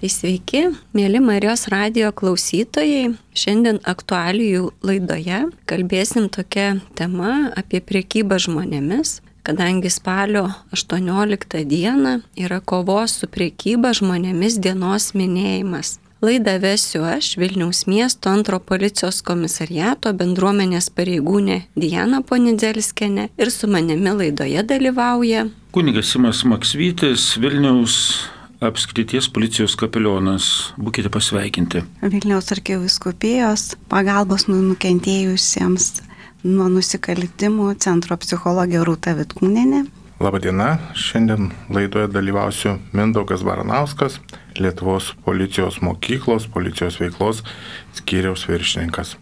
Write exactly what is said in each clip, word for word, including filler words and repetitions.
Tai sveiki, mėly Marijos radijo klausytojai. Šiandien aktualijų laidoje kalbėsim tokia tema apie prekybą žmonėmis, kadangi spalio aštuonioliktą dieną yra kovos su prekyba žmonėmis dienos minėjimas. Laidą vesiu aš, Vilniaus miesto antro policijos komisariato bendruomenės pareigūnė Diana Ponidzelskienė ir su manimi laidoje dalyvauja kunigas Simas Maksvytis, Vilniaus apskrities policijos kapelionas. Būkite pasveikinti. Vilniaus arkivyskupijos pagalbos nukentėjusiems nuo nusikaltimų centro psichologė Rūta Vitkūnienė. Labadiena, šiandien laidoje dalyvausiu Mindaugas Baranauskas, Lietuvos policijos mokyklos, policijos veiklos skyriaus viršininkas.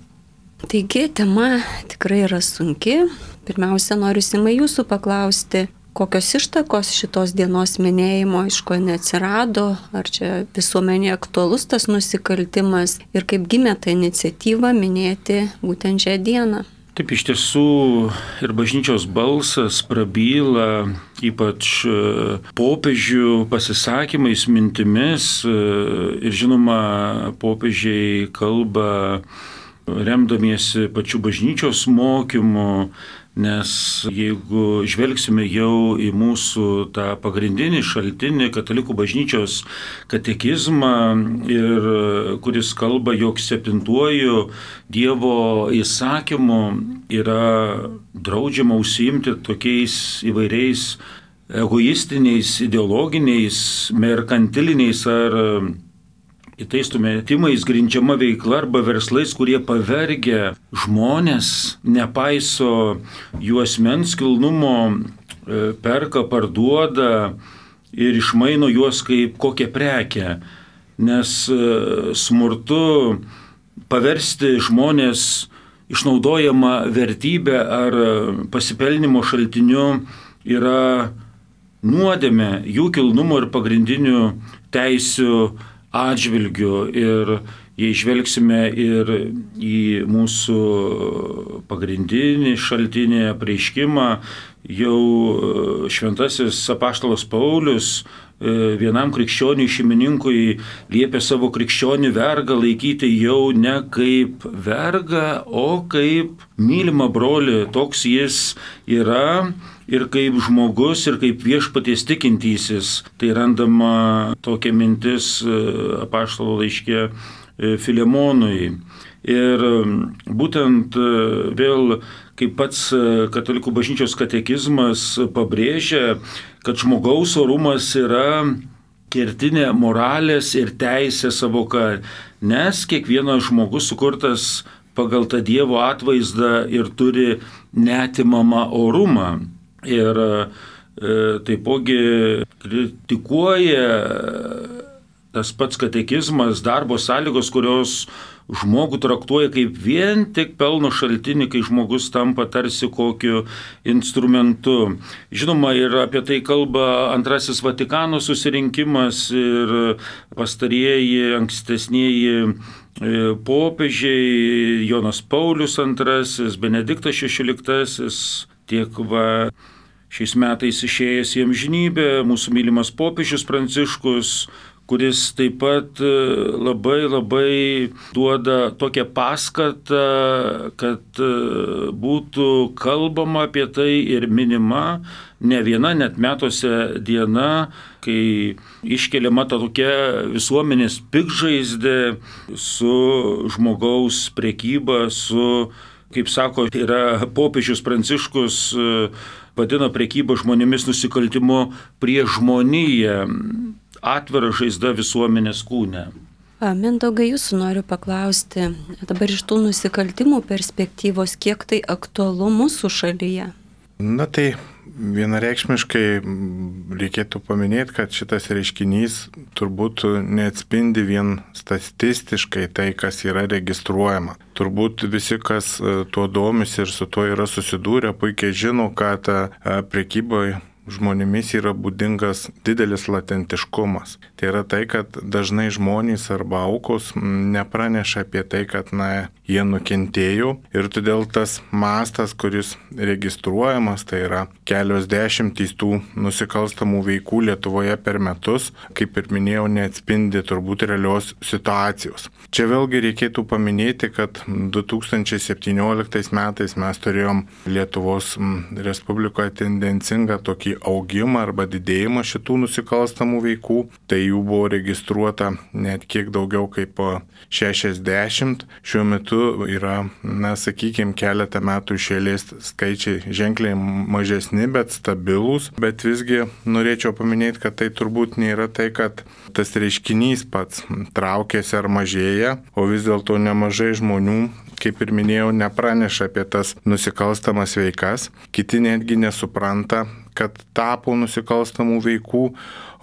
Taigi, tema tikrai yra sunki. Pirmiausia, noriu Simai jūsų paklausti, kokios ištakos šitos dienos minėjimo, iš ko neatsirado, ar čia visuomenėje aktualus tas nusikaltimas ir kaip gimė ta iniciatyva minėti būtent šią dieną. Taip, iš tiesų ir bažnyčios balsas prabyla, ypač popiežių pasisakymais, mintimis ir žinoma, popiežiai kalba remdamiesi pačių bažnyčios mokymų, nes jeigu žvelgsime jau į mūsų tą pagrindinį šaltinį katalikų bažnyčios katekizmą, ir kuris kalba, jog septintuoju Dievo įsakymu yra draudžiama užsiimti tokiais įvairiais egoistiniais, ideologiniais, merkantiliniais ar kitais tumetimais grindžiama veikla arba verslais, kurie pavergia žmonės, nepaiso jų asmens kilnumo, perka, parduoda ir išmaino juos kaip kokią prekę. Nes smurtu paversti žmonės išnaudojama vertybė ar pasipelnimo šaltiniu yra nuodėmė jų kilnumo ir pagrindinių teisių atžvilgių. Ir jei žvelgsime ir į mūsų pagrindinį šaltinį apreiškimą, jau šventasis apaštalas Paulius vienam krikščioniui šeimininkui liepė savo krikščionį vergą laikyti jau ne kaip vergą, o kaip mylimą brolį. Toks jis yra ir kaip žmogus, ir kaip viešpaties tikintysis. Tai randama tokia mintis apaštalo laiške Filemonui. Ir būtent vėl, kaip pats katalikų bažnyčios katekizmas pabrėžia, kad žmogaus orumas yra kertinė moralės ir teisės savoka, nes kiekvienas žmogus sukurtas pagal tą Dievo atvaizdą ir turi neatimamą orumą. Ir e, taipogi kritikuoja tas pats katekizmas darbo sąlygos, kurios žmogų traktuoja kaip vien tik pelno šaltinį, kai žmogus tampa tarsi kokiu instrumentu. Žinoma, ir apie tai kalba antrasis Vatikano susirinkimas ir pastarieji ankstesnieji popiežiai, Jonas Paulius antrasis, Benediktas šešioliktasis, tiek va šiais metais išėjęs į amžinybę mūsų mylimas popiežius Pranciškus, kuris taip pat labai labai duoda tokią paskatą, kad būtų kalbama apie tai ir minima ne viena, net metuose diena, kai iškeliama ta tokia visuomenės piktžaizdė su žmogaus prekyba, su, kaip sako, yra popiežius Pranciškus vadina prekybą žmonėmis nusikaltimu prieš žmoniją, atvira žaizda visuomenės kūne. Mindaugai, jūsų noriu paklausti, dabar iš tų nusikaltimų perspektyvos, kiek tai aktualu mūsų šalyje? Na tai vienareikšmiškai reikėtų paminėti, kad šitas reiškinys turbūt neatspindi vien statistiškai tai, kas yra registruojama. Turbūt visi, kas tuo domisi ir su tuo yra susidūrę, puikiai žino, kad prekyboje žmonėmis yra būdingas didelis latentiškumas. Tai yra tai, kad dažnai žmonės arba aukos nepraneša apie tai, kad na, jie nukentėjo ir todėl tas mastas, kuris registruojamas, tai yra kelios dešimtys tų nusikalstamų veikų Lietuvoje per metus, kaip ir minėjau, neatspindi turbūt realios situacijos. Čia vėlgi reikėtų paminėti, kad du tūkstančiai septynioliktais metais mes turėjom Lietuvos Respublikoje tendencingą tokį augimą arba didėjimą šitų nusikalstamų veikų. Tai jų buvo registruota net kiek daugiau kaip šešiasdešimt. Šiuo metu yra, na, sakykime, keletą metų iš eilės skaičiai ženkliai mažesni, bet stabilūs. Bet visgi norėčiau paminėti, kad tai turbūt nėra tai, kad tas reiškinys pats traukiasi ar mažėja, o vis dėlto nemažai žmonių, kaip ir minėjau, nepraneša apie tas nusikalstamas veikas. Kiti netgi nesupranta, kad tapo nusikalstamų veikų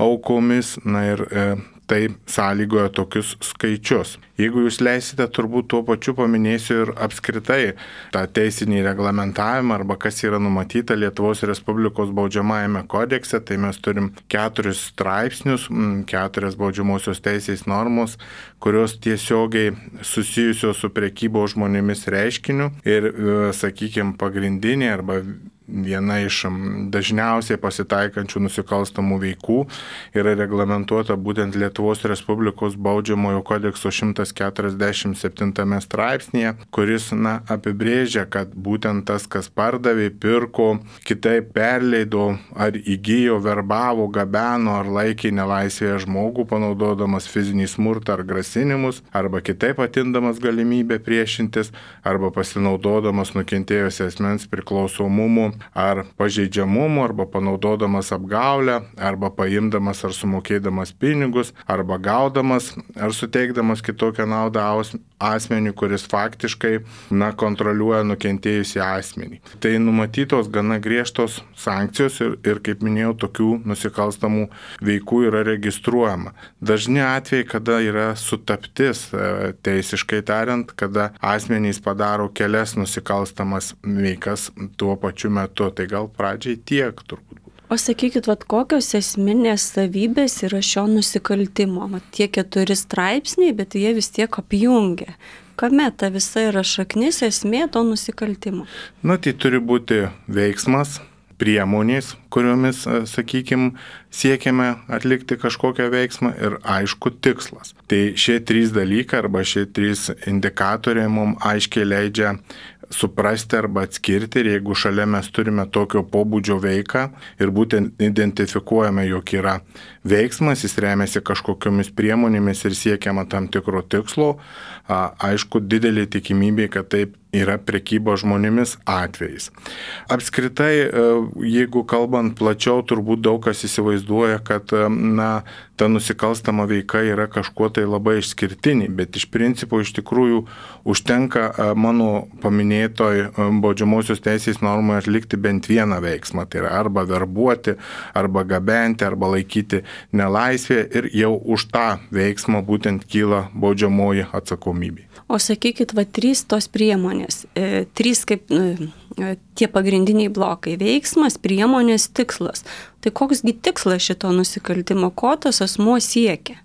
aukomis, na ir e, tai sąlygoja tokius skaičius. Jeigu jūs leisite, turbūt tuo pačiu paminėsiu ir apskritai tą teisinį reglamentavimą arba kas yra numatyta Lietuvos Respublikos baudžiamajame kodekse, tai mes turim keturis straipsnius, keturias baudžiamosios teisės normos, kurios tiesiogiai susijusios su prekybos žmonėmis reiškiniu ir, sakykime, pagrindinė arba viena iš dažniausiai pasitaikančių nusikalstamų veikų yra reglamentuota būtent Lietuvos Respublikos baudžiamojo kodekso šimtas keturiasdešimt septintame straipsnėje, kuris na, apibrėžia, kad būtent tas, kas pardavė, pirko, kitaip perleido ar įgijo, verbavo, gabeno ar laikė nelaisvėje žmogų, panaudodamas fizinį smurtą ar grasinimus, arba kitaip atindamas galimybę priešintis, arba pasinaudodamas nukentėjusio asmens priklausomumu ar pažeidžiamumu, arba panaudodamas apgaulę, arba paimdamas ar sumokėdamas pinigus, arba gaudamas ar suteikdamas kitokią naudą asmeniui, kuris faktiškai na, kontroliuoja nukentėjusį asmenį. Tai numatytos gana griežtos sankcijos ir, ir, kaip minėjau, tokių nusikalstamų veikų yra registruojama. Dažni atvejai, kada yra sutaptis, teisiškai tariant, kada asmenys padaro kelias nusikalstamas veikas tuo pačiu metu. Tai gal pradžiai tiek turbūt. O sakykit, vat, kokios esminės savybės yra šio nusikaltimo? Vat, tie keturi straipsniai, bet jie vis tiek apjungia. Kame ta visa yra šaknis, esmė to nusikaltimo? Na, tai turi būti veiksmas, priemonės, kuriomis, sakykime, siekiame atlikti kažkokią veiksmą ir aišku tikslas. Tai šie trys dalykai arba šie trys indikatoriai mums aiškiai leidžia suprasti arba atskirti ir jeigu šalia mes turime tokio pobūdžio veiką ir būtent identifikuojame, jog yra veiksmas, jis remiasi kažkokiomis priemonėmis ir siekiama tam tikro tikslo, aišku, didelė tikimybė, kad taip yra prekybo žmonėmis atvejais. Apskritai, jeigu kalbant plačiau, turbūt daug kas įsivaizduoja, kad na, ta nusikalstama veika yra kažkuo tai labai išskirtinė, bet iš principo iš tikrųjų užtenka mano paminėtoj baudžiamosios teisės normoje atlikti bent vieną veiksmą, tai yra arba verbuoti, arba gabenti, arba laikyti nelaisvėje ir jau už tą veiksmą būtent kyla baudžiamoji atsakomybė. O sakykit, va, trys tos priemonės, e, trys kaip e, tie pagrindiniai blokai - veiksmas, priemonės, tikslas. Tai koksgi tikslas šito nusikaltimo, ko tas asmuo siekia?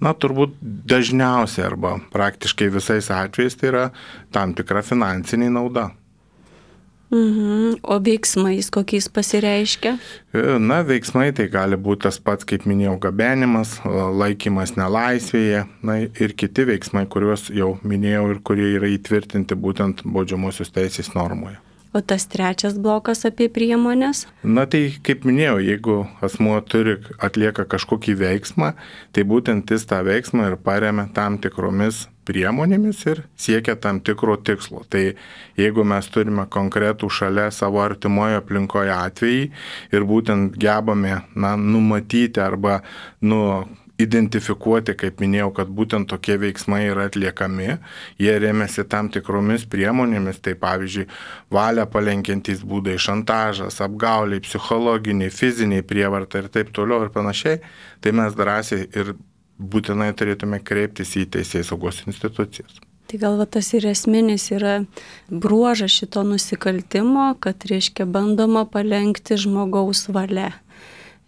Na, turbūt dažniausiai arba praktiškai visais atvejais tai yra tam tikra finansinė nauda. Mhm. O veiksmais kokiais pasireiškia? Na, veiksmai tai gali būti tas pats, kaip minėjau, gabenimas, laikymas nelaisvėje, na ir kiti veiksmai, kuriuos jau minėjau ir kurie yra įtvirtinti būtent baudžiamosios teisės normoje. O tas trečias blokas apie priemonės? Na tai, kaip minėjau, jeigu asmuo turi, atlieka kažkokį veiksmą, tai būtent jis tą veiksmą ir paremia tam tikromis priemonėmis ir siekia tam tikro tikslo. Tai jeigu mes turime konkretų šalia savo artimoje aplinkoje atvejį ir būtent gebame na, numatyti arba nu, identifikuoti, kaip minėjau, kad būtent tokie veiksmai yra atliekami, jie remiasi tam tikromis priemonėmis, tai pavyzdžiui, valią palenkiantys būdai, šantažas, apgauliai, psichologiniai, fiziniai prievarta ir taip toliau ir panašiai, tai mes drąsiai ir būtinai turėtume kreiptis į teisėsaugos institucijas. Tai gal va tas ir esminis yra bruožas šito nusikaltimo, kad, reiškia, bandoma palenkti žmogaus valia.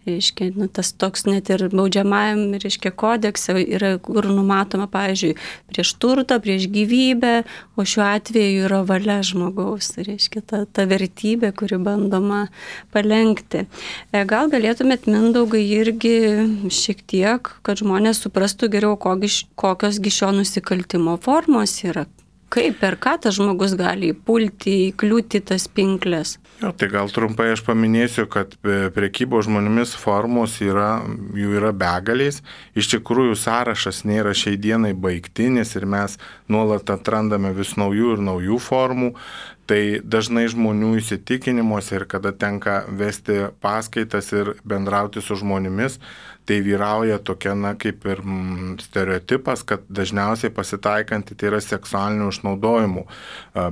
Reiškia, nu, tas toks net ir baudžiamajam, reiškia, kodekse yra, kur numatoma, pavyzdžiui, prieš turtą, prieš gyvybę, o šiuo atveju yra valia žmogaus, reiškia, ta, ta vertybė, kuri bandoma palenkti. Gal galėtumėt, Mindaugai, irgi šiek tiek, kad žmonės suprastų geriau, kokios gi šio nusikaltimo formos yra. Kaip, per ką tas žmogus gali įpulti, įkliūti tas pinklės? Jo, tai gal trumpai aš paminėsiu, kad prekybos žmonėmis formos yra, jų yra begaliais. Iš tikrųjų sąrašas nėra šiai dienai baigtinis ir mes nuolat atrandame vis naujų ir naujų formų. Tai dažnai žmonių įsitikinimuose ir kada tenka vesti paskaitas ir bendrauti su žmonėmis, tai vyrauja tokia, na, kaip ir mm, stereotipas, kad dažniausiai pasitaikanti tai yra seksualinių išnaudojimų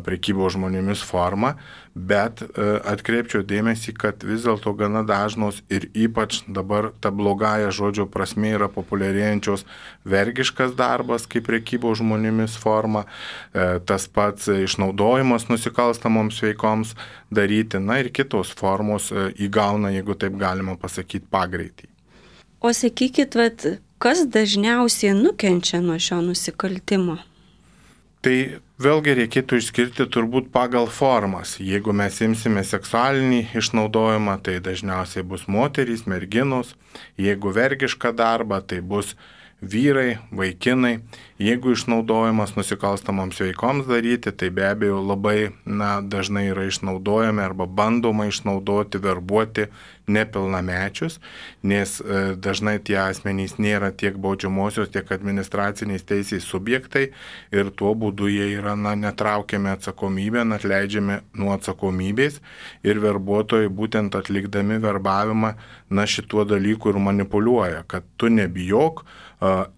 prekybos žmonėmis forma, bet atkreipčiau dėmesį, kad vis dėlto gana dažnos ir ypač dabar ta blogąja žodžio prasme yra populiarėjančios vergiškas darbas kaip prekybos žmonėmis forma, tas pats išnaudojimas nusikalstamoms veikoms daryti, na ir kitos formos įgauna, jeigu taip galima pasakyti, pagreitį. O sakykit, vat, kas dažniausiai nukenčia nuo šio nusikaltimo? Tai vėlgi reikėtų išskirti turbūt pagal formas. Jeigu mes imsime seksualinį išnaudojimą, tai dažniausiai bus moterys, merginos. Jeigu vergišką darbą, tai bus vyrai, vaikinai. Jeigu išnaudojimas nusikalstamoms veikoms daryti, tai be abejo labai na, dažnai yra išnaudojami arba bandoma išnaudoti, verbuoti nepilnamečius, nes e, dažnai tie asmenys nėra tiek baudžiamosios, tiek administraciniais teisės subjektai ir tuo būdu jie yra na, netraukiami atsakomybę, atleidžiami nuo atsakomybės ir verbuotojai būtent atlikdami verbavimą na, šituo dalyku ir manipuliuoja, kad tu nebijok,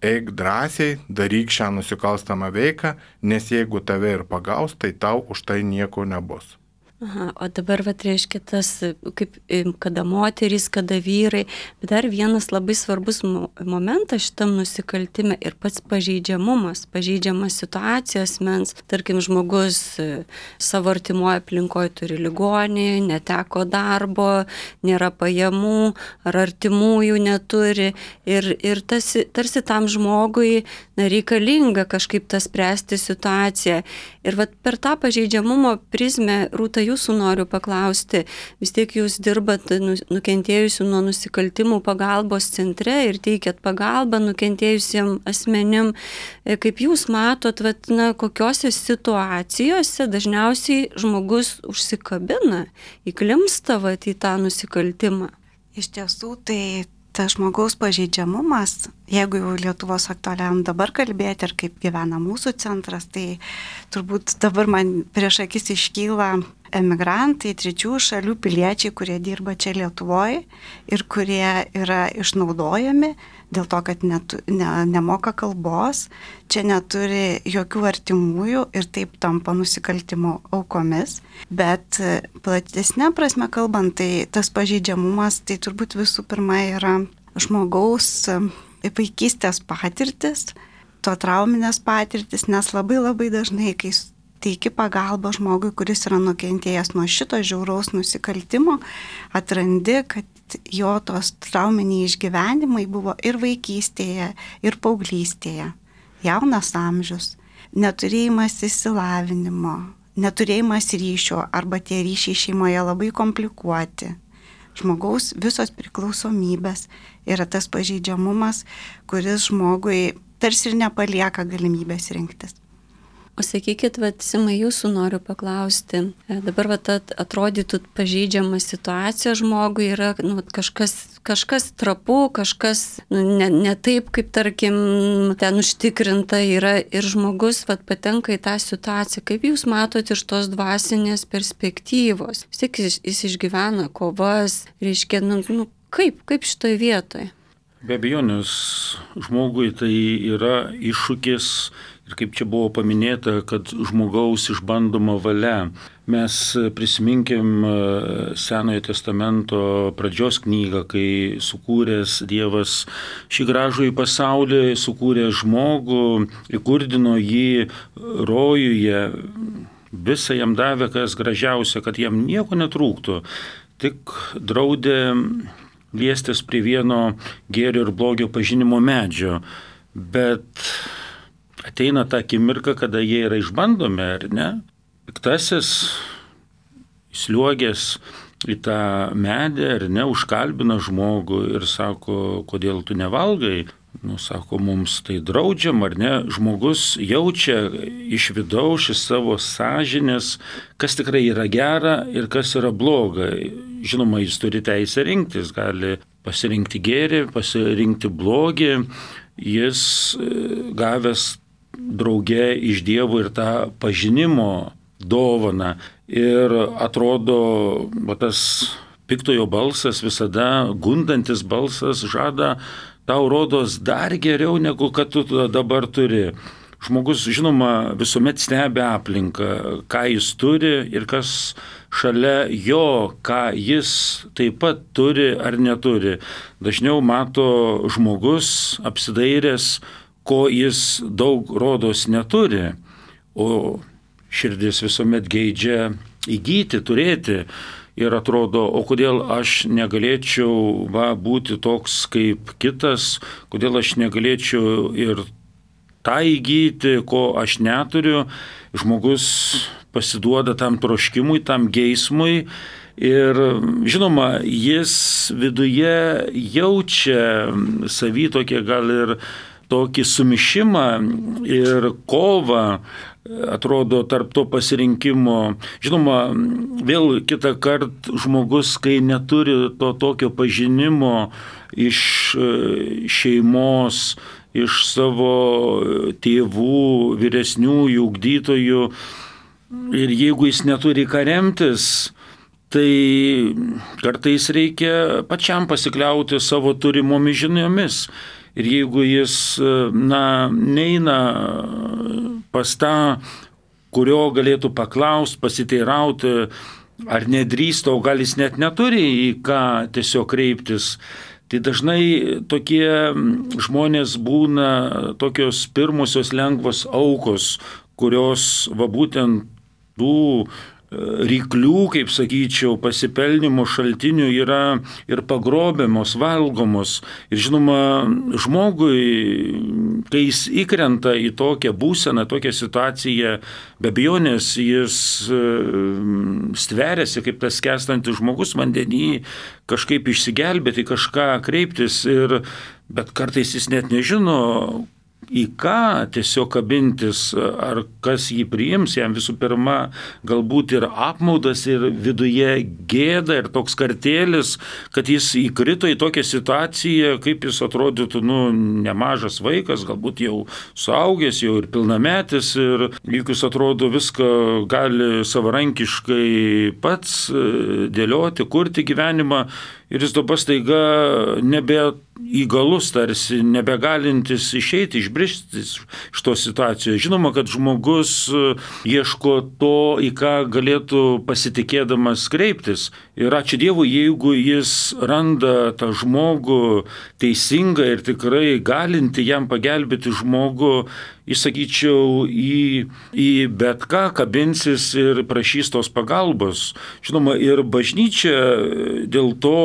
eik drąsiai, daryk šią nusikalstamą veiką, nes jeigu tave ir pagaus, tai tau už tai nieko nebus. Aha, o dabar, va, reiškia tas, kaip kada moterys, kada vyrai, bet dar vienas labai svarbus momentas šitam nusikaltime ir pats pažeidžiamumas, pažeidžiamas situacijos asmens, tarkim, žmogus savo artimoje aplinkoje turi ligonį, neteko darbo, nėra pajamų ar artimųjų neturi ir, ir tas, tarsi tam žmogui na, reikalinga kažkaip tas spręsti situaciją. Ir vat per tą pažeidžiamumo prizmę, Rūta, jūsų noriu paklausti, vis tiek jūs dirbat nukentėjusių nuo nusikaltimų pagalbos centre ir teikiat pagalbą nukentėjusiem asmenim. Kaip jūs matot, vat, na, kokiose situacijose dažniausiai žmogus užsikabina, įklimsta vat, į tą nusikaltimą? Iš tiesų, tai tas žmogaus pažeidžiamumas, jeigu jau Lietuvos aktualiam dabar kalbėti ir kaip gyvena mūsų centras, tai turbūt dabar man prieš akis iškyla emigrantai, trečių šalių piliečiai, kurie dirba čia Lietuvoje ir kurie yra išnaudojami dėl to, kad net, ne, nemoka kalbos, čia neturi jokių artimųjų ir taip tampa nusikaltimo aukomis. Bet platesnė prasme kalbant, tai tas pažeidžiamumas, tai turbūt visų pirma yra žmogaus vaikystės patirtis, to trauminės patirtis, nes labai labai dažnai, kai teiki pagalbą žmogui, kuris yra nukentėjęs nuo šito žiauraus nusikaltimo, atrandi, kad jo tos trauminiai išgyvenimai buvo ir vaikystėje, ir paauglystėje, jaunas amžius, neturėjimas išsilavinimo, neturėjimas ryšio arba tie ryšiai šeimoje labai komplikuoti. Žmogaus visos priklausomybės yra tas pažeidžiamumas, kuris žmogui tarsi ir nepalieka galimybės rinktis. O sakykit, vat, Simai, jūsų noriu paklausti. Dabar vat, atrodytų pažeidžiama situacija žmogui yra nu, kažkas, kažkas trapu, kažkas nu, ne, ne taip, kaip tarkim ten užtikrinta yra ir žmogus vat, patenka į tą situaciją. Kaip jūs matote iš tos dvasinės perspektyvos? Vis tiek jis, jis išgyvena kovas, reiškia, nu, nu, kaip, kaip šitoje vietoje? Be abejonės, žmogui tai yra iššūkis Ir kaip čia buvo paminėta, kad žmogaus išbandoma valia. Mes prisiminkim Senojo testamento pradžios knygą, kai sukūręs Dievas šį gražų į pasaulį, sukūrė žmogų, įkurdino jį rojuje, visą jam davė, kas gražiausia, kad jam nieko netrūktų, tik draudė liestis prie vieno gėrio ir blogio pažinimo medžio. Bet ateina ta akimirka, kada jie yra išbandomi, ar ne? Piktasis įsliuogęs į tą medį, ar ne, užkalbina žmogų ir sako, kodėl tu nevalgai? Nu, sako, mums tai draudžiam, ar ne? Žmogus jaučia iš vidaus, iš savo sąžinės, kas tikrai yra gera ir kas yra bloga. Žinoma, jis turi teisę rinktis, gali pasirinkti gėrį, pasirinkti blogį. Jis gavęs drauge iš Dievo ir tą pažinimo dovaną. Ir atrodo, va, tas piktojo balsas, visada gundantis balsas žada tau rodos dar geriau, negu kad tu dabar turi. Žmogus, žinoma, visuomet stebi aplinką, ką jis turi ir kas šalia jo, ką jis taip pat turi ar neturi. Dažniau mato žmogus apsidairęs, ko jis daug rodos neturi, o širdis visuomet geidžia įgyti, turėti. Ir atrodo, o kodėl aš negalėčiau va, būti toks kaip kitas, kodėl aš negalėčiau ir tą įgyti, ko aš neturiu. Žmogus pasiduoda tam troškimui, tam geismui ir žinoma, jis viduje jaučia savy tokie gal ir tokį sumišimą ir kovą, atrodo, tarp to pasirinkimo. Žinoma, vėl kitą kartą žmogus, kai neturi to tokio pažinimo iš šeimos, iš savo tėvų, vyresniųjų, ugdytojų, ir jeigu jis neturi ką remtis, tai kartais reikia pačiam pasikliauti savo turimomis žiniomis. Ir jeigu jis, na, neina pas tą, kurio galėtų paklausti, pasiteirauti, ar nedrįsta, o gal jis net neturi į ką tiesiog kreiptis, tai dažnai tokie žmonės būna tokios pirmosios lengvos aukos, kurios va būtent tų ryklių, kaip sakyčiau, pasipelnimo šaltinių yra ir pagrobiamos, valgomos. Ir žinoma, žmogui, kai jis įkrenta į tokią būseną, tokią situaciją, be abejonės jis stveriasi kaip tas skęstantis žmogus vandenį, kažkaip išsigelbėti, kažką kreiptis, ir, bet kartais jis net nežino, į ką tiesiog kabintis, ar kas jį priims. Jam visų pirma galbūt ir apmaudas, ir viduje gėda, ir toks kartėlis, kad jis įkrito į tokią situaciją, kaip jis atrodytų, nu, nemažas vaikas, galbūt jau suaugęs, jau ir pilnametis, ir juk jis atrodo viską gali savarankiškai pats dėlioti, kurti gyvenimą, ir jis dabar staiga nebe įgalus, tarsi nebegalintis išeiti, išbristi iš tos situacijos. Žinoma, kad žmogus ieško to, į ką galėtų pasitikėdamas kreiptis. Ir ačiū Dievui, jeigu jis randa tą žmogų teisingą ir tikrai galinti jam pagelbėti žmogų, jis, sakyčiau, į, į bet ką kabinsis ir prašys tos pagalbos. Žinoma, ir bažnyčia dėl to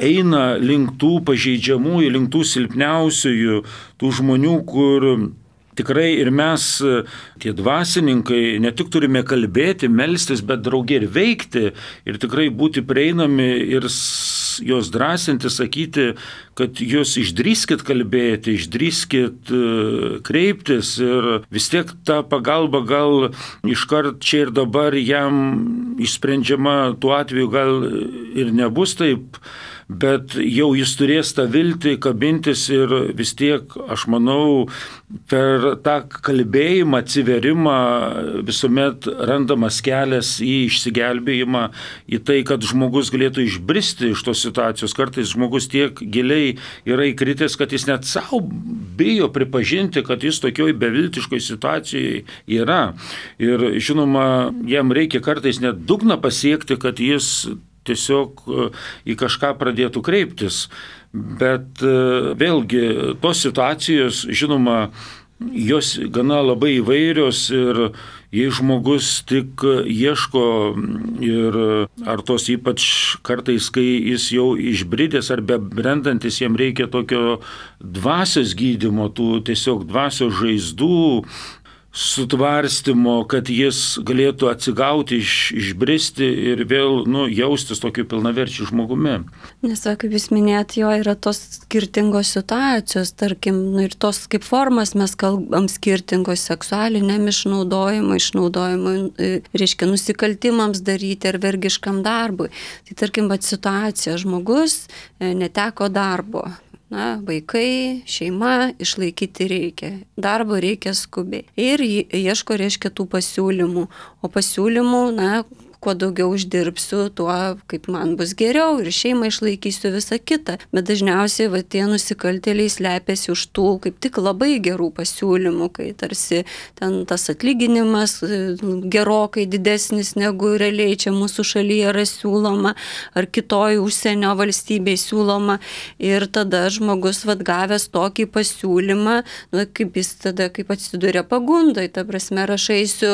eina link tų pažeidžiamųjų, link tų silpniausiųjų, tų žmonių, kur tikrai ir mes, tie dvasininkai, ne tik turime kalbėti, melstis, bet drauge ir veikti, ir tikrai būti prieinami ir jos drąsinti, sakyti, kad jūs išdrįskit kalbėti, išdrįskit kreiptis, ir vis tiek ta pagalba gal iškart čia ir dabar jam išsprendžiama, tuo atveju gal ir nebus taip, bet jau jis turės tą viltį kabintis ir vis tiek, aš manau, per tą kalbėjimą, atsiverimą visuomet randamas kelias į išsigelbėjimą, į tai, kad žmogus galėtų išbristi iš tos situacijos. Kartais žmogus tiek giliai yra įkritęs, kad jis net savo bijo pripažinti, kad jis tokioj beviltiškoj situacijai yra. Ir žinoma, jam reikia kartais net dugną pasiekti, kad jis tiesiog į kažką pradėtų kreiptis. Bet vėlgi, tos situacijos, žinoma, jos gana labai įvairios ir jei žmogus tik ieško ir ar tos ypač kartais, kai jis jau išbridęs ar bebrendantis, jam reikia tokio dvasios gydymo, tų tiesiog dvasios žaizdų, sutvarstymo, kad jis galėtų atsigauti, iš, išbristi ir vėl nu, jaustis tokiu pilnaverčiu žmogumi. Nes, va, kaip jūs minėjot, jo yra tos skirtingos situacijos, tarkim, nu, ir tos kaip formas mes kalbam skirtingos seksualiniam išnaudojimui, išnaudojimui, reiškia, nusikaltimams daryti ar vergiškam darbui. Tai tarkim, va, situacija, žmogus neteko darbo. Na, vaikai, šeima, išlaikyti reikia. Darbo reikia skubiai. Ir ieško, reiškia, tų pasiūlymų. O pasiūlymų, na, kuo daugiau uždirbsiu, tuo kaip man bus geriau ir šeimą išlaikysiu visą kitą. Bet dažniausiai va, tie nusikaltėliai slepiasi už tų kaip tik labai gerų pasiūlymų, kai tarsi ten tas atlyginimas gerokai didesnis negu realiai čia mūsų šalyje yra siūloma ar kitoj užsienio valstybėje siūloma. Ir tada žmogus va, gavęs tokį pasiūlymą, nu, kaip jis tada kaip atsiduria pagundai, ta prasme, aš eisiu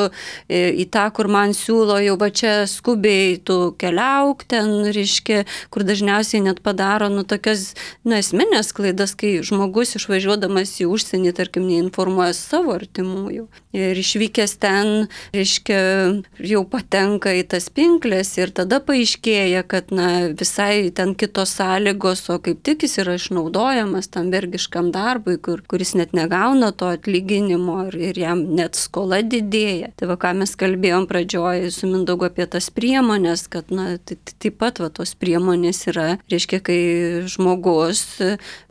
į tą, kur man siūlo jau va čia skubiai tu keliauk ten, reiškia, kur dažniausiai net padaro, nu, tokias, nu, esminės klaidas, kai žmogus išvažiuodamas į užsienį, tarkim, neinformuoja savo artimųjų. Ir išvykęs ten, reiškia, jau patenka į tas pinklės ir tada paaiškėja, kad, na, visai ten kitos sąlygos, o kaip tik jis yra išnaudojamas tam vergiškam darbui, kur, kuris net negauna to atlyginimo ir, ir jam net skola didėja. Tai va, ką mes kalbėjom pradžioje su Mindaugu apie tas priemonės, kad, na, taip pat va, tos priemonės yra, reiškia, kai žmogus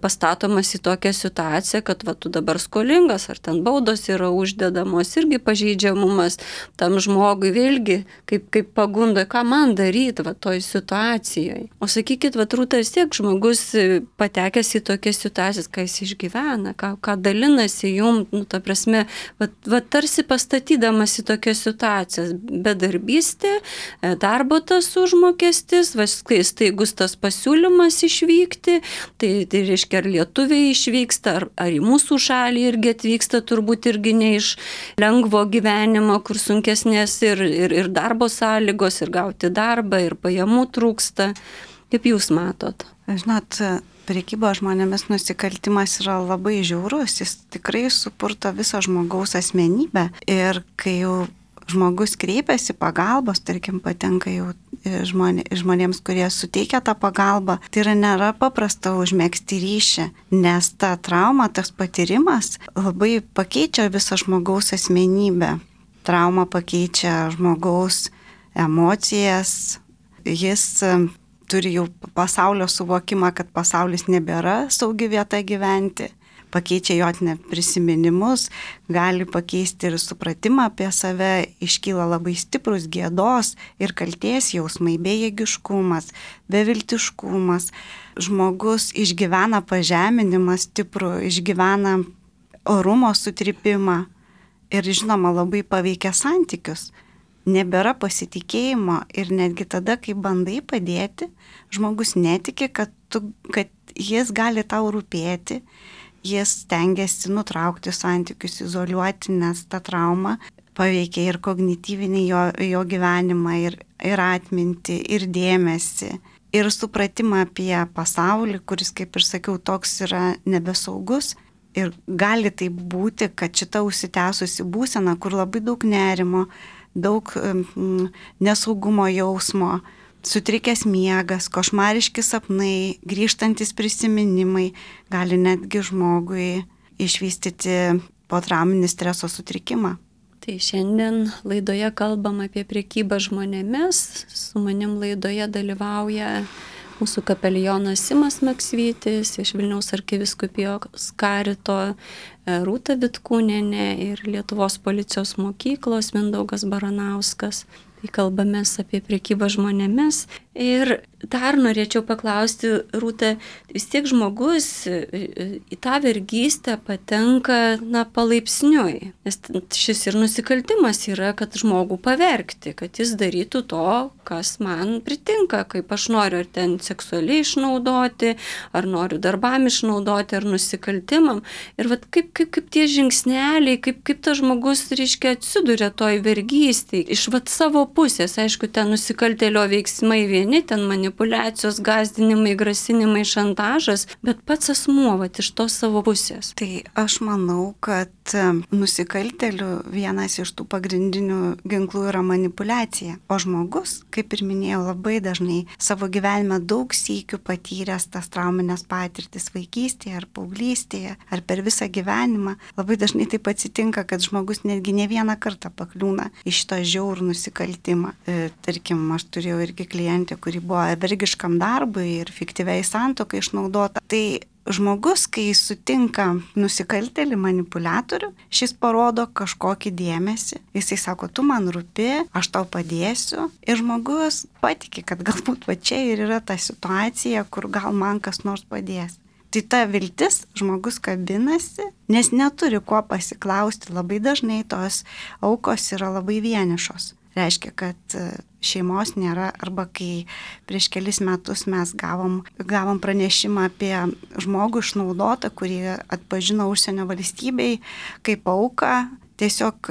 pastatomas į tokią situaciją, kad va, tu dabar skolingas, ar ten baudos yra uždedamos, irgi pažeidžiamumas tam žmogui, vėlgi, kaip, kaip pagunda, ką man daryti va, toj situacijoje. O sakykit, va, Rūta, vis tiek žmogus patekęs į tokias situacijas, ką jis išgyvena, ką, ką dalinasi jum, nu, ta prasme, va, va, tarsi pastatydamas į tokias situacijas, bedarbystė, darbo tas užmokestis, kai staigus tas pasiūlymas išvykti, tai, tai reiškia, ar lietuviai išvyksta, ar, ar į mūsų šalį irgi atvyksta, turbūt irgi ne iš lengvo gyvenimo, kur sunkesnės ir, ir, ir darbo sąlygos, ir gauti darbą, ir pajamų trūksta. Kaip jūs matot? Žinot, prekybo žmonėmis nusikaltimas yra labai žiaurus, jis tikrai supurto visą žmogaus asmenybę ir kai jau žmogus kreipiasi pagalbos, tarkim, patenka jau žmonė, žmonėms, kurie suteikia tą pagalbą, tai yra nėra paprasta užmegzti ryšį, nes ta trauma, tas patyrimas labai pakeičia visą žmogaus asmenybę. Trauma pakeičia žmogaus emocijas, jis turi jau pasaulio suvokimą, kad pasaulis nebėra saugi vieta gyventi. Pakeičia jo net prisiminimus, gali pakeisti ir supratimą apie save, iškyla labai stiprus gėdos ir kaltės jausmai, bejėgiškumas, beviltiškumas. Žmogus išgyvena pažeminimą stiprų, išgyvena orumo sutripimą ir, žinoma, labai paveikia santykius. Nebėra pasitikėjimo ir netgi tada, kai bandai padėti, žmogus netiki, kad, tu, kad jis gali tau rūpėti. Jis stengiasi nutraukti santykius, izoliuoti, nes ta trauma paveikia ir kognityvinį jo, jo gyvenimą, ir, ir atmintį, ir dėmesį, ir supratimą apie pasaulį, kuris, kaip ir sakiau, toks yra nebesaugus. Ir gali taip būti, kad šita užsitęsusi būsena, kur labai daug nerimo, daug mm, nesaugumo jausmo, sutrikęs miegas, košmariški sapnai, grįžtantis prisiminimai gali netgi žmogui išvystyti potrauminį streso sutrikimą. Tai šiandien laidoje kalbam apie prekybą žmonėmis. Su manim laidoje dalyvauja mūsų kapelionas Simas Maksvytis, iš Vilniaus arkivyskupijos karito Rūta Vitkūnienė ir Lietuvos policijos mokyklos Mindaugas Baranauskas. Tai kalbamės apie prekybą žmonėmis. Ir dar norėčiau paklausti, Rūta, vis tiek žmogus į tą vergystę patenka, na, palaipsniui. Nes šis ir nusikaltimas yra, kad žmogų pavergti, kad jis darytų to, kas man pritinka, kaip aš noriu, ar ten seksualiai išnaudoti, ar noriu darbam išnaudoti, ar nusikaltimam. Ir vat kaip, kaip, kaip tie žingsneliai, kaip, kaip tas žmogus, reiškia, atsiduria toj vergystėj. Iš vat savo pusės, aišku, ten nusikaltėlio veiksmai vieni, ten manipulacijos, gąsdinimai, grasinimai, šantažas, bet pats asmuo, vat iš tos savo pusės. Tai aš manau, kad nusikaltėlių vienas iš tų pagrindinių ginklų yra manipulacija. O žmogus, kaip ir minėjau, labai dažnai savo gyvenime daug sykių patyręs tas trauminės patirtis vaikystėje ar paauglystėje, ar per visą gyvenimą. Labai dažnai taip atsitinka, kad žmogus netgi ne vieną kartą pakliūna į šitą žiaurų nusikaltimą. E, tarkim, aš turėjau irgi klientę, kuri buvo vergiškam darbui ir fiktyviai santuokai išnaudota. Tai žmogus, kai sutinka nusikaltėlį, manipuliatorių, šis parodo kažkokį dėmesį. Jisai sako, tu man rūpi, aš tau padėsiu. Ir žmogus patiki, kad galbūt va čia ir yra ta situacija, kur gal man kas nors padės. Tai ta viltis, žmogus kabinasi, nes neturi kuo pasiklausti. Labai dažnai tos aukos yra labai vienišos. Reiškia, kad šeimos nėra, arba kai prieš kelis metus mes gavom, gavom pranešimą apie žmogų išnaudotą, kurį atpažino užsienio valstybei kaip auką. Tiesiog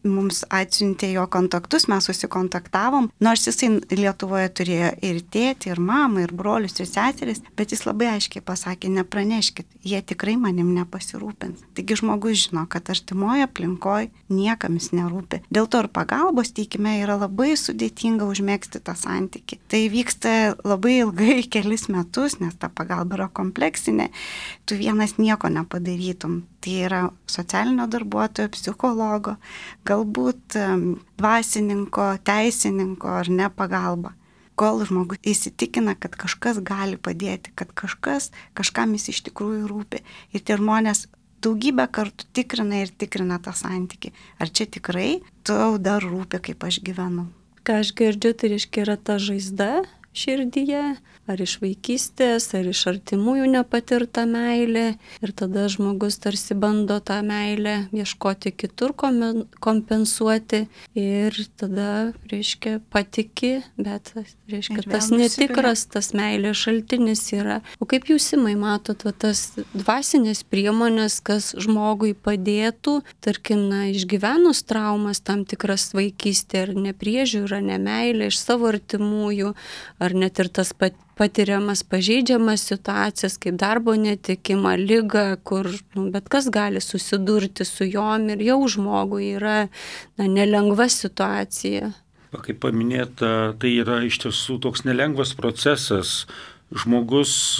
mums atsiuntė jo kontaktus, mes susikontaktavom, nors jisai Lietuvoje turėjo ir tėtį, ir mamą, ir brolius, ir seseris, bet jis labai aiškiai pasakė, nepraneškit, jie tikrai manim nepasirūpins. Taigi žmogus žino, kad artimoje aplinkoje niekam jis nerūpi. Dėl to ir pagalbos teikime yra labai sudėtinga užmėgsti tą santykį. Tai vyksta labai ilgai, kelis metus, nes ta pagalba yra kompleksinė, tu vienas nieko nepadarytum. Tai yra socialinio darbuotojo, psichologo, galbūt dvasininko, teisininko ar ne pagalba. Kol žmogus įsitikina, kad kažkas gali padėti, kad kažkas, kažkam jis iš tikrųjų rūpi. Ir tie žmonės daugybę kartų tikrina ir tikrina tą santykį. Ar čia tikrai tau dar rūpi, kaip aš gyvenu? Ką aš girdžiu, tai reiškia yra ta žaizda širdyje, ar iš vaikystės, ar iš artimųjų nepatirta meilė. Ir tada žmogus tarsi bando tą meilę ieškoti kitur, kompensuoti. Ir tada, reiškia, patiki, bet, reiškia, tas netikras, tas meilės šaltinis yra. O kaip jūs, Simai, matot, va, tas dvasinės priemonės, kas žmogui padėtų, tarkim, na, išgyvenus traumas, tam tikras vaikystė, ar nepriežiūra, nemeilė iš savo artimųjų, ar net ir tas patiriamas pažeidžiamas situacijas, kaip darbo netekimą, ligą, kur nu, bet kas gali susidurti su jom ir jau žmogui yra na, nelengva situacija. Kaip paminėta, tai yra iš tiesų toks nelengvas procesas. Žmogus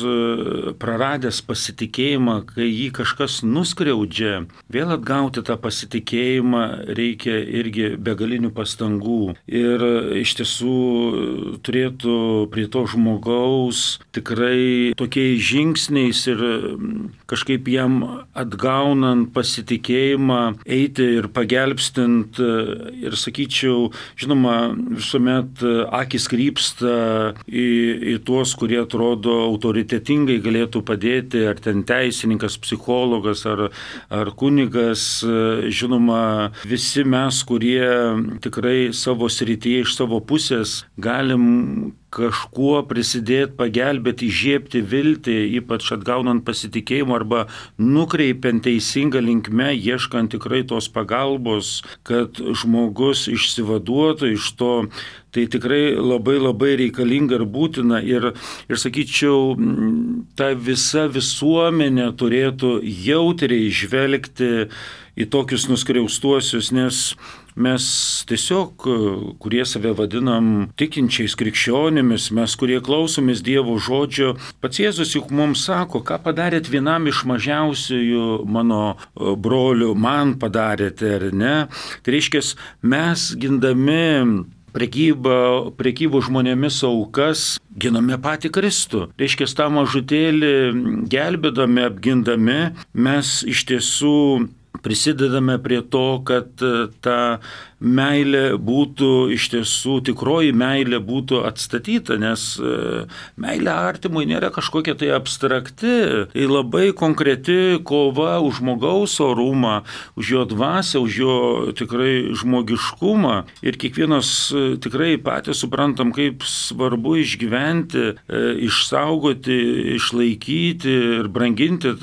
praradęs pasitikėjimą, kai jį kažkas nuskriaudžia, vėl atgauti tą pasitikėjimą reikia irgi begalinių pastangų. Ir iš tiesų turėtų prie to žmogaus tikrai tokiais žingsniais ir kažkaip jam atgaunant pasitikėjimą eiti ir pagelbstint. Ir sakyčiau, žinoma, visuomet akis krypsta į, į tuos, kurie atrodo atrodo autoritetingai galėtų padėti, ar ten teisininkas, psichologas, ar, ar kunigas. Žinoma, visi mes, kurie tikrai savo srityje iš savo pusės galim kažkuo prisidėti, pagelbėti, įžiebti viltį, ypač atgaunant pasitikėjimą arba nukreipiant teisingą linkme, ieškant tikrai tos pagalbos, kad žmogus išsivaduotų iš to. Tai tikrai labai labai reikalinga ir būtina. Ir, ir sakyčiau, ta visa visuomenė turėtų jautriai žvelgti į tokius nuskriaustuosius, nes mes tiesiog, kurie save vadinam tikinčiais krikščionimis, mes, kurie klausomės Dievo žodžio, pats Jėzus juk mums sako, ką padarėt vienam iš mažiausiųjų mano brolių, man padarėte, ar ne? Tai reiškia, mes gindami prekybą, prekybų žmonėmis aukas giname patį Kristų. Reiškia, tą mažutėlį gelbėdami, apgindami, mes iš tiesų prisidedame prie to, kad ta meilė būtų iš tiesų, tikroji meilė būtų atstatyta, nes meilė artimui nėra kažkokia tai abstrakti, tai labai konkreti kova už žmogaus orumą, už jo dvasią, už jo tikrai žmogiškumą. Ir kiekvienas tikrai patys suprantam, kaip svarbu išgyventi, išsaugoti, išlaikyti ir branginti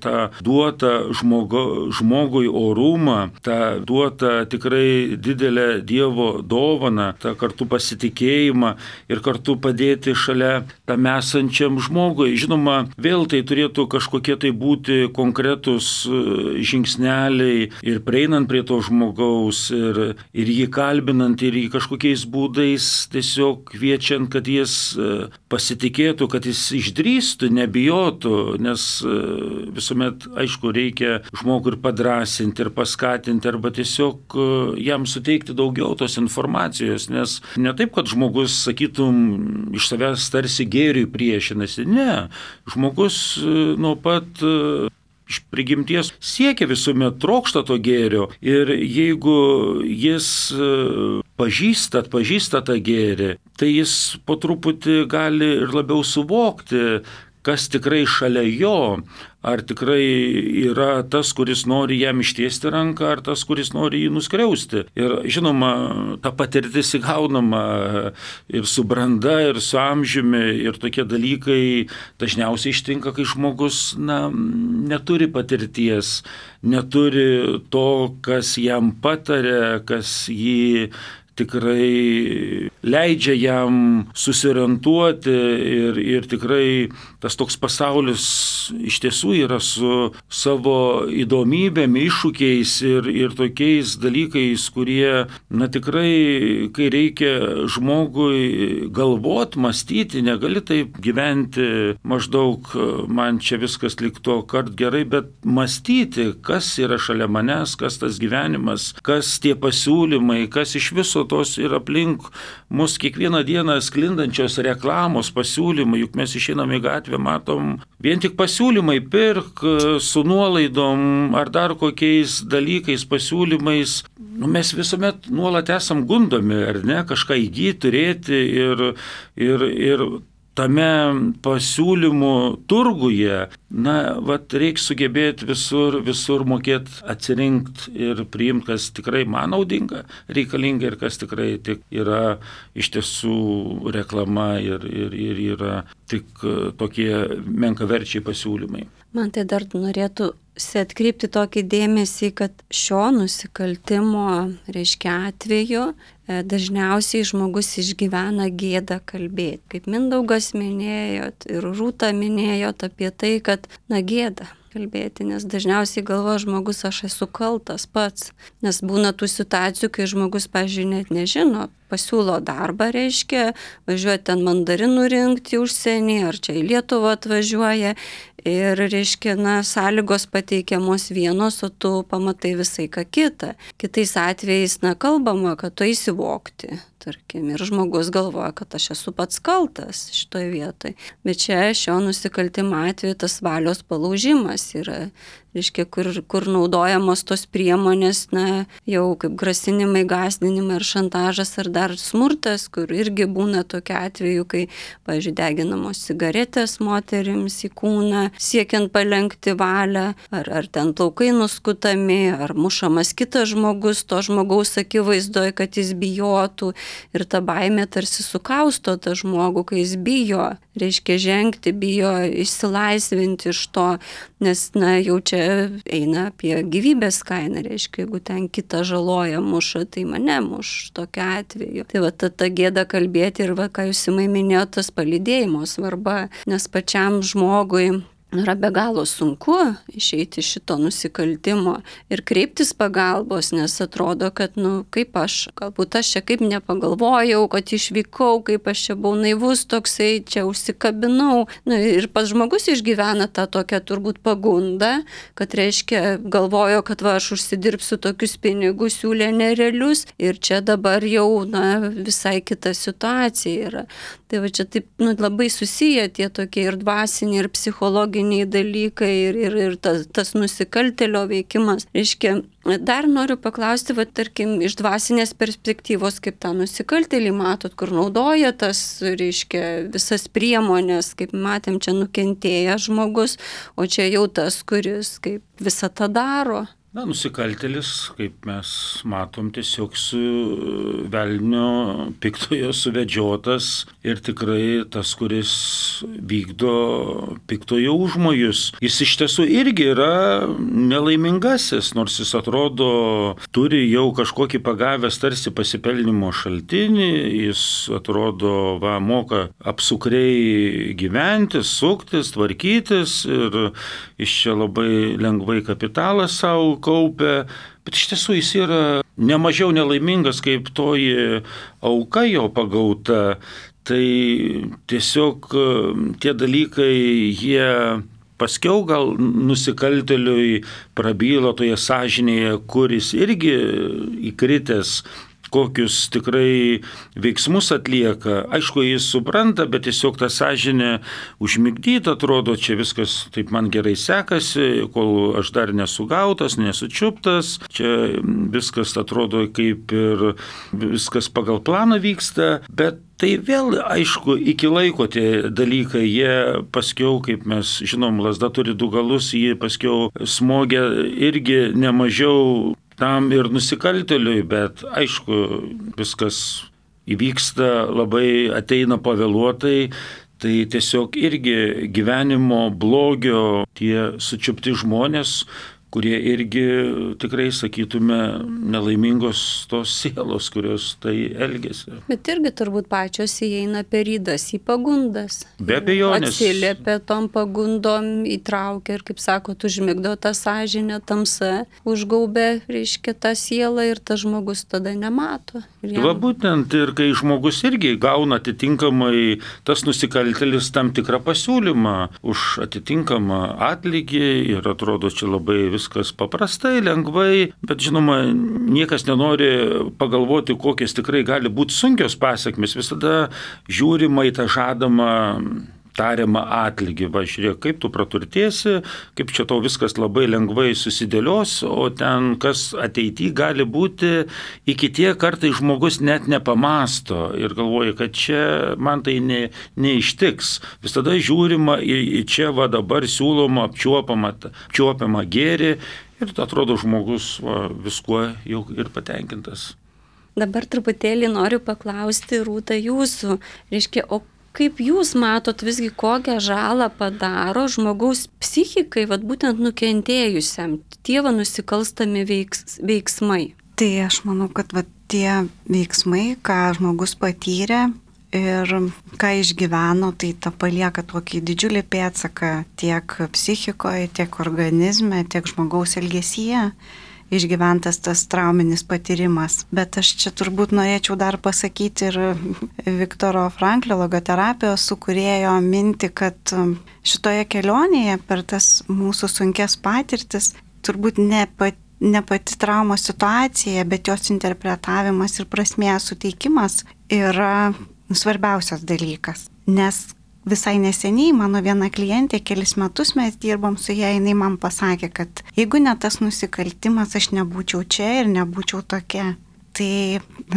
tą duotą žmogo, žmogui orumą, tą duotą tikrai didelę Dievo dovaną, tą kartu pasitikėjimą ir kartu padėti šalia tam esančiam žmogui. Žinoma, vėl tai turėtų kažkokie tai būti konkretus žingsneliai ir prieinant prie to žmogaus ir, ir jį kalbinant ir jį kažkokiais būdais tiesiog kviečiant, kad jis pasitikėtų, kad jis išdrįstų, nebijotų, nes visuomet, aišku, reikia žmogų ir padrasinti, ir paskatinti, arba tiesiog jam suteikti daugiau tos informacijos, nes ne taip, kad žmogus, sakytum, iš savęs tarsi gėriui priešinasi, ne, žmogus nuo pat iš prigimties siekia visuomet, trokšta to gėrio ir jeigu jis pažįsta, atpažįsta tą gėrį, tai jis po truputį gali ir labiau suvokti, kas tikrai šalia jo, ar tikrai yra tas, kuris nori jam ištiesti ranką, ar tas, kuris nori jį nuskriausti. Ir žinoma, ta patirtis įgaunama ir su branda, ir su amžiumi, ir tokie dalykai dažniausiai ištinka, kai žmogus na, neturi patirties, neturi to, kas jam patarė, kas jį tikrai leidžia jam susiorientuoti ir, ir tikrai tas toks pasaulis iš tiesų yra su savo įdomybėm, iššūkiais ir, ir tokiais dalykais, kurie, na tikrai, kai reikia žmogui galvot, mąstyti, negali taip gyventi maždaug man čia viskas likto kart gerai, bet mąstyti, kas yra šalia manęs, kas tas gyvenimas, kas tie pasiūlymai, kas iš viso tos ir aplink mus kiekvieną dieną sklindančios reklamos pasiūlymai, juk mes išeinam į gatvę, matom vien tik pasiūlymai, pirk su nuolaidom ar dar kokiais dalykais, pasiūlymais. Nu, mes visuomet nuolat esam gundomi, ar ne, kažką įgyti, turėti ir, ir, ir tame pasiūlymų turguje, na, vat reikia sugebėti visur, visur mokėti atsirinkti ir priimti, kas tikrai man naudinga, reikalinga ir kas tikrai tik yra iš tiesų reklama ir, ir, ir yra tik tokie menkaverčiai pasiūlymai. Man tai dar norėtų atkreipti tokį dėmesį, kad šio nusikaltimo, reiškia, atveju dažniausiai žmogus išgyvena gėdą kalbėti. Kaip Mindaugas minėjot ir Rūta minėjot apie tai, kad na gėda kalbėti, nes dažniausiai galvoja žmogus, aš esu kaltas pats, nes būna tų situacijų, kai žmogus, pavyzdžiui, net nežino, pasiūlo darbą, reiškia, važiuoja ten mandarinų rinkti į užsienį, ar čia į Lietuvą atvažiuoja ir, reiškia, na, sąlygos pateikiamos vienos, o tu pamatai visai ką kitą. Kitais atvejais, na, kalbama, kad tu įsivokti, tarkim, ir žmogus galvoja, kad aš esu pats kaltas šitoje vietoje. Bet čia šio nusikaltimo atveju tas valios palaužimas yra, reiškia, kur, kur naudojamos tos priemonės, na, jau kaip grasinimai, gąsdinimai ar šantažas ar dar smurtas, kur irgi būna tokia atveju, kai, pavyzdžiui, deginamos cigaretės moterims į kūną, siekiant palenkti valią, ar, ar ten plaukai nuskutami, ar mušamas kitas žmogus, to žmogaus akivaizdoje, kad jis bijotų ir ta baimė tarsi sukausto tą žmogų, kai jis bijo, reiškia žengti, bijo išsilaisvinti iš to, nes, na, jau čia eina apie gyvybės kainą, reiškia, jeigu ten kitą žaloja, muša, tai mane muš tokiu atveju. Tai va, ta, ta gėda kalbėti ir va, ką jūs įmai minėjote, tas palydėjimo svarba, nes pačiam žmogui yra be galo sunku išeiti iš šito nusikaltimo ir kreiptis pagalbos, nes atrodo, kad, nu, kaip aš, galbūt aš čia kaip nepagalvojau, kad išvykau, kaip aš čia buvau naivus toksai, čia užsikabinau. Nu, ir pats žmogus išgyvena tą tokią turbūt pagundą, kad reiškia, galvojo, kad va, aš užsidirbsiu tokius pinigus, siūlė nerealius ir čia dabar jau, na, visai kita situacija yra. Tai va čia taip, nu, labai susiję tie tokie ir dvasiniai, ir psichologiniai dalykai, ir, ir, ir tas, tas nusikaltėlio veikimas. Reiškia, dar noriu paklausti, va, tarkim, iš dvasinės perspektyvos, kaip tą nusikaltėlį matot, kur naudoja tas, reiškia, visas priemonės, kaip matėm, čia nukentėjęs žmogus, o čia jau tas, kuris kaip visą tą daro. Na, nusikaltėlis, kaip mes matom, tiesiog su velnio piktojo suvedžiotas ir tikrai tas, kuris vykdo piktojo užmojus. Jis iš tiesų irgi yra nelaimingasis, nors jis atrodo turi jau kažkokį pagavęs tarsi pasipelnimo šaltinį, jis atrodo, va, moka apsukriai gyventi, suktis, tvarkytis ir iš čia labai lengvai kapitalą savo kaupia, bet iš tiesų jis yra nemažiau nelaimingas kaip toji auka jo pagauta. Tai tiesiog tie dalykai, jie paskiau gal nusikaltėliui prabyla toje sąžinėje, kuris irgi įkritęs, kokius tikrai veiksmus atlieka. Aišku, jis supranta, bet tiesiog ta sąžinė užmigdyta, atrodo, čia viskas taip man gerai sekasi, kol aš dar nesugautas, nesučiuptas, čia viskas atrodo kaip ir viskas pagal planą vyksta, bet tai vėl, aišku, iki laiko tie dalykai, jie paskiau, kaip mes žinom, lazda turi du galus, jie paskiau smogia irgi nemažiau tam ir nusikaltėliui, bet aišku, viskas įvyksta labai, ateina pavėluotai, tai tiesiog irgi gyvenimo blogio tie sučiupti žmonės, kurie irgi tikrai, sakytume, nelaimingos tos sielos, kurios tai elgėsi. Bet irgi turbūt pačios įeina per ydas į pagundas. Be abejonės. Atsiliepia tom pagundom, įtraukia ir, kaip sako, užmigdo tą sąžinę, tamsa, užgaubė, reiškia, tą sielą ir tas žmogus tada nemato. Jam... Va būtent ir kai žmogus irgi gauna atitinkamai tas nusikaltėlis tam tikrą pasiūlymą už atitinkamą atlygį ir atrodo čia labai viskas paprastai, lengvai, bet žinoma, niekas nenori pagalvoti, kokios tikrai gali būti sunkios pasiekmes. Visada žiūrima į tą žadamą tariamą atlygį. Va, žiūrėk, kaip tu praturtėsi, kaip čia tau viskas labai lengvai susidėlios, o ten kas ateityje gali būti, iki tie kartai žmogus net nepamasto ir galvoja, kad čia man tai ne, neištiks. Visada žiūrima į, į čia va dabar siūloma apčiuopama, apčiuopiama gėrį ir atrodo žmogus va, viskuo jau ir patenkintas. Dabar truputėlį noriu paklausti, Rūta, jūsų, reiškia, o kaip jūs matot visgi, kokią žalą padaro žmogaus psichikai, vat būtent nukentėjusiam, tie va nusikalstami veiks, veiksmai? Tai aš manau, kad va, tie veiksmai, ką žmogus patyrė ir ką išgyveno, tai ta palieka tokį didžiulį pėdsaką tiek psichikoje, tiek organizme, tiek žmogaus elgesyje. Išgyventas tas trauminis patyrimas. Bet aš čia turbūt norėčiau dar pasakyti ir Viktoro Franklio logoterapijos sukūrėjo mintį, kad šitoje kelionėje per tas mūsų sunkes patirtis turbūt ne pati, ne pati traumos situacija, bet jos interpretavimas ir prasmės suteikimas yra svarbiausias dalykas. Nes visai neseniai mano viena klientė, kelis metus mes dirbom su ją, jinai man pasakė, kad jeigu ne tas nusikaltimas, aš nebūčiau čia ir nebūčiau tokia. Tai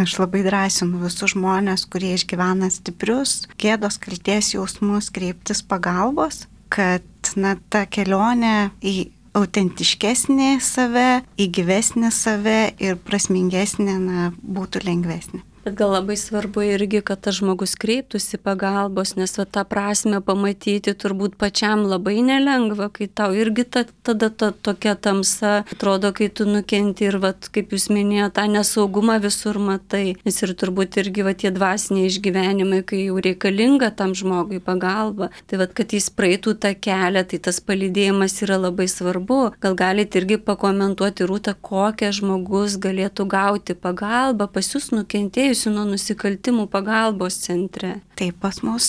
aš labai drąsinu visus žmonės, kurie išgyvena stiprius gėdos, kaltės jausmus, kreiptis pagalbos, kad na, ta kelionė į autentiškesnį save, į gyvesnį save ir prasmingesnį na, būtų lengvesnė. Bet gal labai svarbu irgi, kad tas žmogus kreiptųsi pagalbos, nes va, tą prasme pamatyti turbūt pačiam labai nelengva, kai tau irgi ta, tada ta, tokia tamsa, atrodo, kai tu nukenti ir, va, kaip jūs minėjote, tą nesaugumą visur matai, nes ir turbūt irgi va, tie dvasiniai išgyvenimai, kai jau reikalinga tam žmogui pagalba, tai va, kad jis praeitų tą kelią, tai tas palydėjimas yra labai svarbu. Gal galite irgi pakomentuoti, Rūta, kokią žmogus galėtų gauti pagalbą pas jūs nukentėjus nuo nusikaltimų pagalbos centre? Taip, pas mus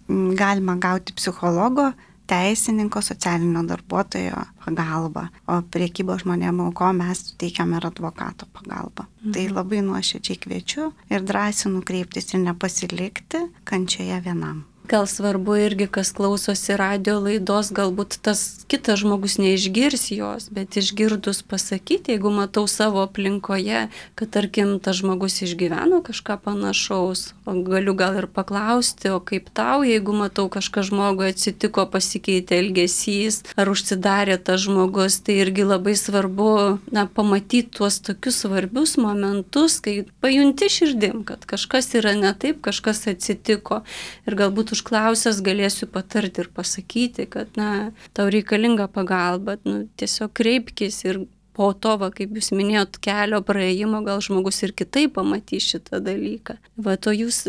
galima gauti psichologo, teisininko, socialinio darbuotojo pagalbą, o priekybos žmonėm auko mes teikiame ir advokato pagalbą. Mhm. Tai labai nuoširdžiai kviečiu ir drąsinu kreiptis ir nepasilikti kančioje vienam. Gal svarbu irgi, kas klausosi radio laidos, galbūt tas kitas žmogus neišgirs jos, bet išgirdus pasakyti, jeigu matau savo aplinkoje, kad tarkim tas žmogus išgyveno kažką panašaus, o galiu gal ir paklausti, o kaip tau, jeigu matau kažką žmogui atsitiko, pasikeitė elgesys, ar užsidarė tas žmogus, tai irgi labai svarbu, na, pamatyti tuos tokius svarbius momentus, kai pajunti širdim, kad kažkas yra ne taip, kažkas atsitiko ir galbūt užklausęs galėsiu patarti ir pasakyti, kad, na, tau reikalinga pagalba, nu, tiesiog kreipkis ir po to, va, kaip jūs minėjot, kelio praėjimo, gal žmogus ir kitaip pamatys šitą dalyką. Va, to jūs,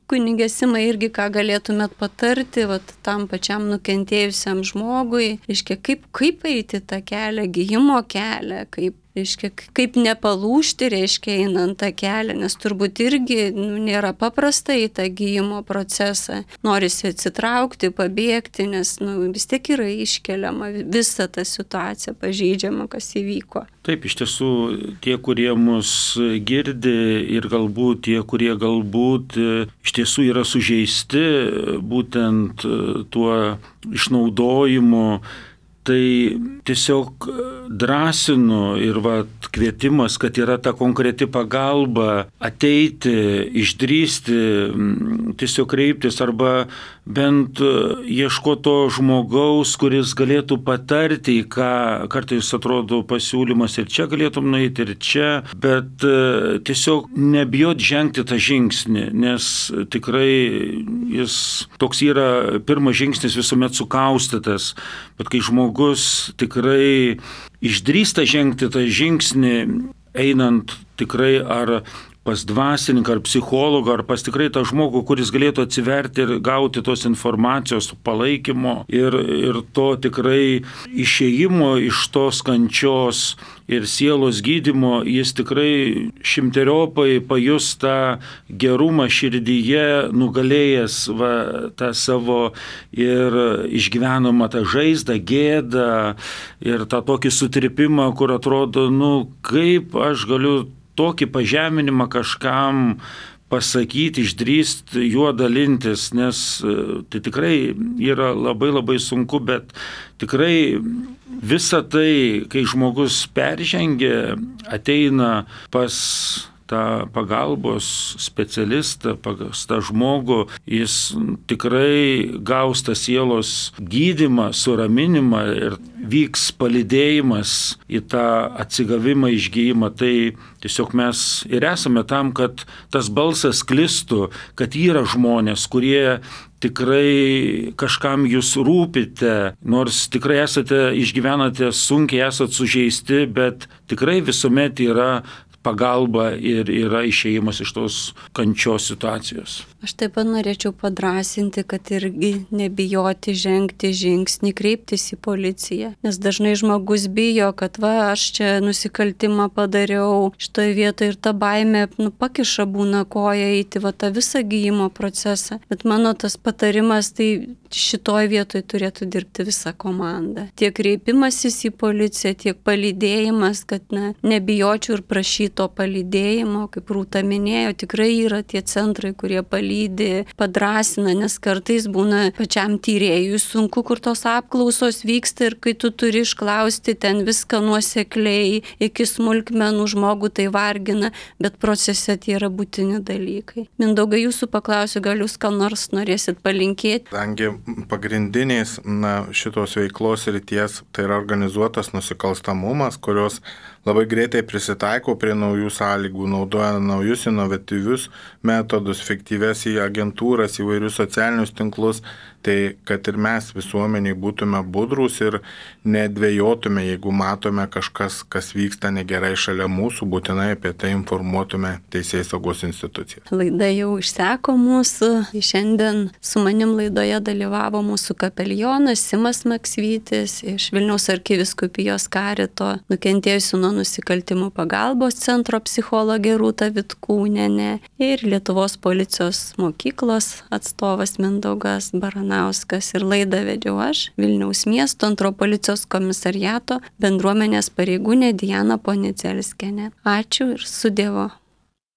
kunigė Sima, irgi ką galėtumėt patarti, va, tam pačiam nukentėjusiam žmogui, reiškia, kaip, kaip eiti tą kelią, gijimo kelią, kaip reiškia, kaip nepalūžti, reiškia, einant tą kelią, nes turbūt irgi nu, nėra paprasta į tą gijimo procesą. Norisi atsitraukti, pabėgti, nes nu, vis tiek yra iškeliama visa ta situacija pažeidžiama, kas įvyko. Taip, iš tiesų, tie, kurie mus girdi ir galbūt tie, kurie galbūt iš tiesų yra sužeisti būtent tuo išnaudojimu, tai tiesiog drąsinu ir va, kvietimas, kad yra ta konkreti pagalba ateiti, išdrįsti, tiesiog kreiptis arba bent ieškoti to žmogaus, kuris galėtų patarti, ką kartais atrodo pasiūlymas ir čia galėtum nueiti ir čia, bet tiesiog nebijot žengti tą žingsnį, nes tikrai jis toks yra pirmas žingsnis visuomet sukaustytas, bet kai žmogus Žmogus tikrai išdrįsta žengti tą žingsnį, einant tikrai ar pas dvasininką, ar psichologą, ar pas tikrai tą žmogų, kuris galėtų atsiverti ir gauti tos informacijos, palaikymo ir, ir to tikrai išėjimo iš tos kančios ir sielos gydymo, jis tikrai šimteriopai pajus tą gerumą širdyje, nugalėjęs va, tą savo ir išgyvenamą tą žaizdą, gėdą ir tą tokį sutripimą, kur atrodo, nu kaip aš galiu tokį pažeminimą kažkam pasakyti, išdrįsti juo dalintis, nes tai tikrai yra labai labai sunku, bet tikrai visa tai, kai žmogus peržengia, ateina pas tą pagalbos specialistą, pas tą žmogų, jis tikrai gaus tą sielos gydymą, suraminimą ir vyks palydėjimas į tą atsigavimą, išgijimą. Tai tiesiog mes ir esame tam, kad tas balsas sklistų, kad yra žmonės, kurie tikrai kažkam jūs rūpite, nors tikrai esate, išgyvenate sunkiai, esate sužeisti, bet tikrai visuomet yra pagalba ir yra išėjimas iš tos kančios situacijos. Aš taip pat norėčiau padrasinti, kad irgi nebijoti žengti žingsnį, kreiptis į policiją, nes dažnai žmogus bijo, kad va, aš čia nusikaltimą padariau šitoje vietoje ir ta baimė nu, pakiša būna koją eiti va, tą visą gijimo procesą. Bet mano tas patarimas, tai šitoje vietoje turėtų dirbti visa komanda. Tiek kreipimasis į policiją, tiek palydėjimas, kad na, nebijočiau ir prašyti to palydėjimo, kaip Rūta minėjo, tikrai yra tie centrai, kurie palydi, padrasina, nes kartais būna pačiam tyrėjui sunku, kur tos apklausos vyksta ir kai tu turi išklausti ten viską nuosekliai, iki smulkmenų žmogų tai vargina, bet procese tie yra būtini dalykai. Mindaugai, jūsų paklausiu, gal jūs ką nors norėsit palinkėti? Kadangi pagrindiniais na, šitos veiklos ryties tai yra organizuotas nusikalstamumas, kurios labai greitai prisitaiko prie naujų sąlygų, naudoja naujus inovatyvius metodus, fiktyves į agentūras, įvairius socialinius tinklus. Tai kad ir mes visuomeniai būtume budrus ir nedvėjotume, jeigu matome kažkas, kas vyksta negerai šalia mūsų, būtinai apie tai informuotume Teisėsaugos instituciją. Laida jau išseko mūsų. Šiandien su manim laidoje dalyvavo mūsų kapelionas Simas Maksvytis iš Vilniaus arkivyskupijos karito nukentėjusių nuo nusikaltimų pagalbos centro psichologė Rūta Vitkūnienė ir Lietuvos policijos mokyklos atstovas Mindaugas Baranauskas. Ir laidą vedžiau aš, Vilniaus miesto antro policijos komisariato bendruomenės pareigūnė Diana Ponicelskienė. Ačiū ir su Dievu.